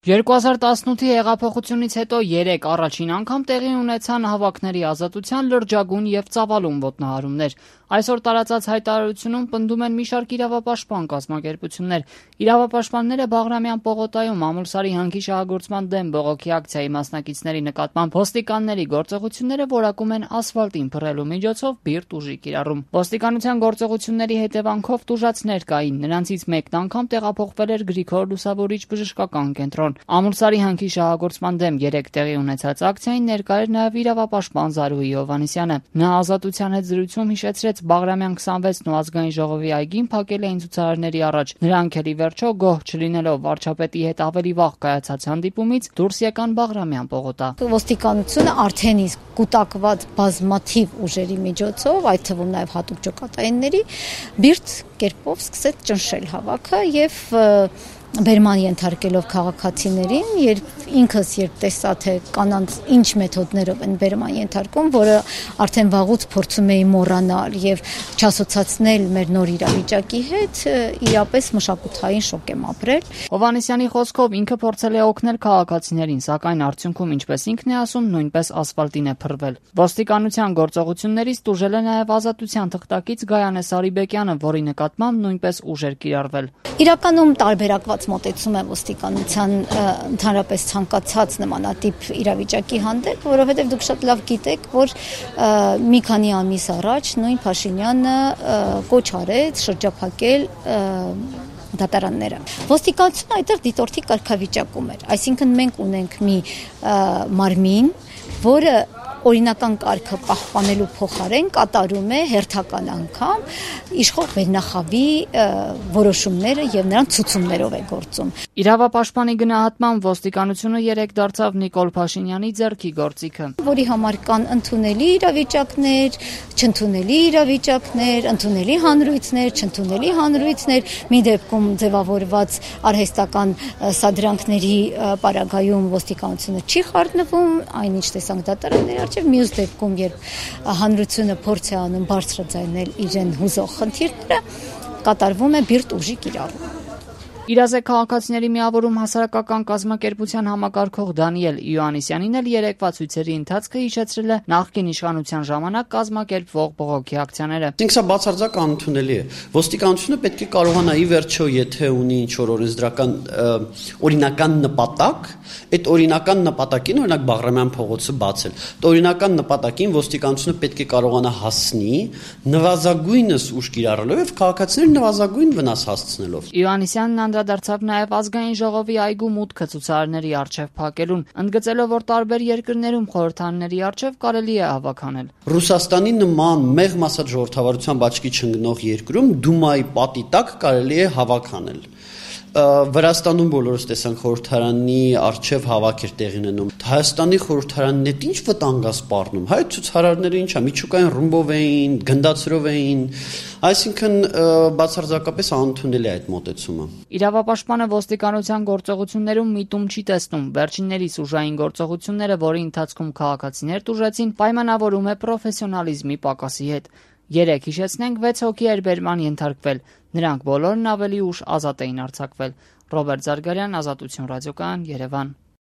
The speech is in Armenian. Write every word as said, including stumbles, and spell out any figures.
երկու հազար տասնութի հեղափոխությունից հետո երեք առաջին անգամ տեղի ունեցան հավաքների ազատության լրջագույն եւ ծավալուն ոտնահարումներ։ Այսօր տարածած հայտարարությունում պնդում են մի շարք իրավապաշտպան կազմակերպություններ։ Իրավապաշտպանները Բաղրամյան պողոտայում Ամուլսարի հանքի շահագործման դեմ բողոքի ակցիայի մասնակիցների նկատմամբ ոստիկանների գործողությունները որակում են ասֆալտին փռելու միջոցով բիրտ ուժի կիրառում։ Ոստիկանության գործողությունների հետևանքով տուժածներ կային, նրանցից մեկն անգամ տեղափոխվել էր Գրիգոր Լուսավորիչ բժշկական կենտրոն։ Ամուլսարի հանքի շահագործման դեմ երեք տեղի ունեցած ակցիային ներկա էր նաև իրավապաշտպան Զարուհի Հովհաննիսյանը։ Նա Ազատության հետ զրույցում հիշեցրեց Բաղրամյան քսանվեցն ու ազգային ժողովի այգին փակել էին ցուցարարների առաջ։ Նրանք էլ ի վերջո գոհ չլինելով վարչապետի հետ ավելի վաղ կայացած հանդիպումից դուրս եկան Բաղրամյան պողոտա։ Ոստիկանությունը արդեն իսկ կուտակված բազմաթիվ ուժերի միջոցով, այդ թվում նաև հատուկ ջոկատայինների, բիրտ կերպով սկսեց ճնշել հավաքը եւ բերման ենթարկելով քաղաքացիներին, երբ ինքս երբ տեսա թե կանանց ինչ մեթոդներով են բերման ենթարկում, որը արդեն վաղուց փորձում էի մոռանալ եւ չասոցացնել մեր նոր իրավիճակի հետ, իրապես մշակութային շոկ եմ ապրել։ Հովհաննիսյանի խոսքով ինքը փորձել է օգնել քաղաքացիներին, սակայն արդյունքում, ինչպես ինքն է ասում, նույնպես ասֆալտին է փռվել։ Ոստիկանության գործողություններից տուժել է նաև Ազատության թղթակից Գայանե Սարիբեկյանը, որի նկատմամբ նույնպես ուժ էր կիրառվել։ Իրականում տարբերակված մոտեցում է ոստիկանության ընդհանրապես ցանկացած նմանատիպ իրավիճակի հանդեպ, որովհետև դուք շատ լավ գիտեք, որ մի քանի ամիս առաջ նույն Փաշինյանը կոչ արեց շրջափակել դատարանները։ Ոստիկանությունը այդտեղ դիտորդի կարգավիճակում էր, այսինքն մենք ունենք մի մարմին, որը օրինական կարգը պահպանելու փոխարեն կատարում է հերթական անգամ իշխող վերնախավի որոշումները եւ նրանց ցուցումներով է գործում։ Իրավապաշտպանի գնահատման ոստիկանությունը երեք դարձավ Նիկոլ Փաշինյանի ձեռքի գործիքը, որի համար կան ընդունելի իրավիճակներ, չընդունելի իրավիճակներ, ընդունելի հանրույթներ, չընդունելի հանրույթներ, մի դեպքում ձևավորված արհեստական սադրանքների պարագայում ոստիկանությունը չի խառնվում, այնինչ տեսանք դատարանների արչև, մյուս դեպքում, երբ հանրությունը փորձ է անում բարձրաձայնել իրեն հուզող խնդիրները, կատարվում է բիրտ ուժի կիրառում։ Իրազեկ քաղաքացիների միավորում հասարակական կազմակերպության համակարգող Դանիել Իոաննիսյանին էլ երեկվա ցույցերի ընթացքը հիշեցրել է նախկին իշխանության ժամանակ կազմակերպվող բողոքի ակցիաները։ Ինքս սա բացարձակ անընդունելի է։ Ոստիկանությունը պետք է կարողանա ի վերջո, եթե ունի ինչ-որ օրենսդրական օրինական նպատակ, այդ օրինական նպատակին, օրինակ Բաղրամյան փողոցը բացել, այդ օրինական նպատակին ոստիկանությունը պետք է կարողանա հասնի նվազագույնս ուժ կիրառելով եւ քաղաքացիներին նվազագույն վնաս հասցնելով։ Իոաննիսյանն անդրադարձավ նաև ազգային ժողովի այգու մուտքը ցուցարարների առջև փակելուն, ընդգծելով, որ տարբեր երկրներում խորհրդարանների առջև կարելի է հավաքանել։ Ռուսաստանի նման մեղմ ասած ժողովրդավարության բաճկի չընկնող երկրում Դումայի պատի տակ կարելի է հավաքանել։ Վրաստանում բոլորս տեսանք խորհրդարանի առջև հավաք էր տեղի ունենում։ Հայաստանի խորհրդարանն է ինչ վտանգ է սպառնում։ Հայ ցուցարարները ինչա միջուկային ռումբով էին, գնդացրով էին, այսինքն բացարձակապես անընդունելի է այդ մոտեցումը։ Իրավապաշտպանը ոստիկանության գործողություններում միտում չի տեսնում։ Վերջիններիս ուժային գործողությունները, որի ընթացքում քաղաքացիներ տուժեցին, պայմանավորում է պրոֆեսիոնալիզմի պակասի հետ։ Երեք հիշեցնենք վեց հոգի էր բերման ենթարկվել։ Նրանք բոլորն ավելի ուշ ազատ էին արձակվել։ Ռոբերտ Զարգարյան, Ազատություն ռադիոկայան, Երևան։